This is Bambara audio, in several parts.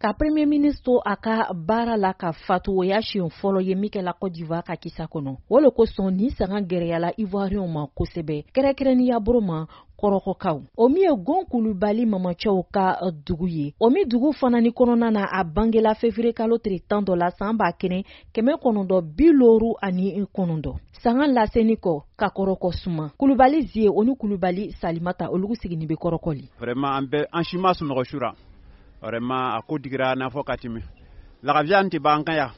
Ka premier ministre to a ka baara la ka fatu, o y'a siɲɛ fɔlɔ ye min kɛla Côte d'Ivoire ka kisa kɔnɔ. O le kosɔn nin sanga gɛrɛyala Ivoirienw ma kosɛbɛ, kɛrɛnkɛrɛnniya boro ma kɔrɔkɔkaw. O min ye Gon Kulubali mamacɛw ka dugu ye, o min dugu fana ni kɔnɔna na a bangela février kalo tile 11 la san 1959. Sanga laseni kɔ ka kɔrɔkɔ suma, Kulubali Zie o ni Kulubali Salimata, olugu sigini bɛ kɔrɔkɔli. Vraiment, an bɛɛ, an si ma sunɔgɔ su ra. Vraiment, a ko digira n'a fɔ ka tɛmɛ lagafiya tɛ ban an kan yan.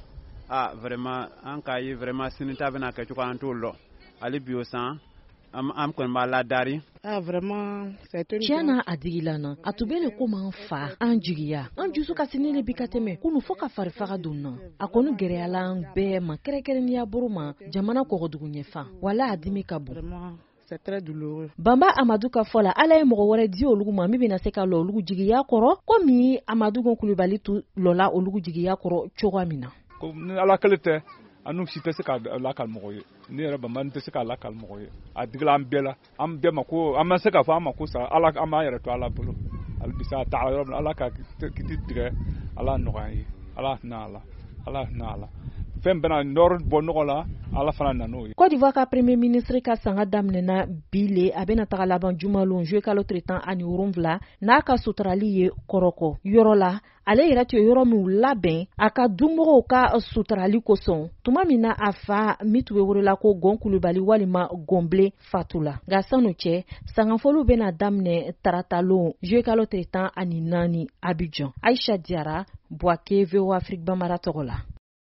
Ah, vraiment, an k'a ye vraiment, sini ta bɛna kɛ cogo an t'o lɔ. Hali bi o san an kɔni b'a ladari. Ah, vraiment, c'est une Tiɲɛ na, a digila na. A tun bɛ le komi an fa, an jigiya, an dusu kasinin le bi ka tɛmɛ kunu, fɔɔ ka farifaga don na. A kɔni gɛrɛyala an bɛɛ ma, kɛrɛnkɛrɛnniya boro ma jamana kɔgɔdugu ɲɛfan. Wala a dimi ka bon. Vraiment, c'est très douloureux. Banba Amadu ka fɔ la, Ala ye mɔgɔ wɛrɛ di olugu ma min bɛna se ka lɔ olugu jigiya kɔrɔ, komi Amadu Gon Kulubali tun lɔla olugu jigiya kɔrɔ cogoya min na. Ko ni Ala kelen tɛ, an n'u si tɛ se k'a lakali mɔgɔ ye. Ne yɛrɛ Banba tɛ se k'a lakali mɔgɔ ye. A digila an bɛɛ la, an bɛɛ ma ko an ma se k'a fɔ an ma ko sa. Ala, an b'an yɛrɛ to Ala bolo hali bi sa. A taara yɔrɔ min na, Ala ka kiti tigɛ, Ala nɔgɔya an ye. Ala hinɛ a la, Ala hinɛ a la. Fɛn bɛna nɔrɔ bɔ nɔgɔ la, Ala fana nan'o ye. Côte d'Ivoire ka premier ministre ka sanga daminɛna bi le, a bɛna taga laban jumalon juillet kalo tile 17 n'a ka suturali ye kɔrɔkɔ yɔrɔ la. Ale yɛrɛ tun ye yɔrɔ min labɛn a ka dumɔgɔw ka suturali kosɔn tuma min na a fa min tun bɛ welela ko Gɔn Kulubali walima Gɔnbilen fatula. Nka sanu cɛ, sangafoliw bɛna daminɛ taratalon juillet kalo tile 14 Abidjan. Aisha Diara, Bouaké, VOA Afrique Bambara tɔgɔ la.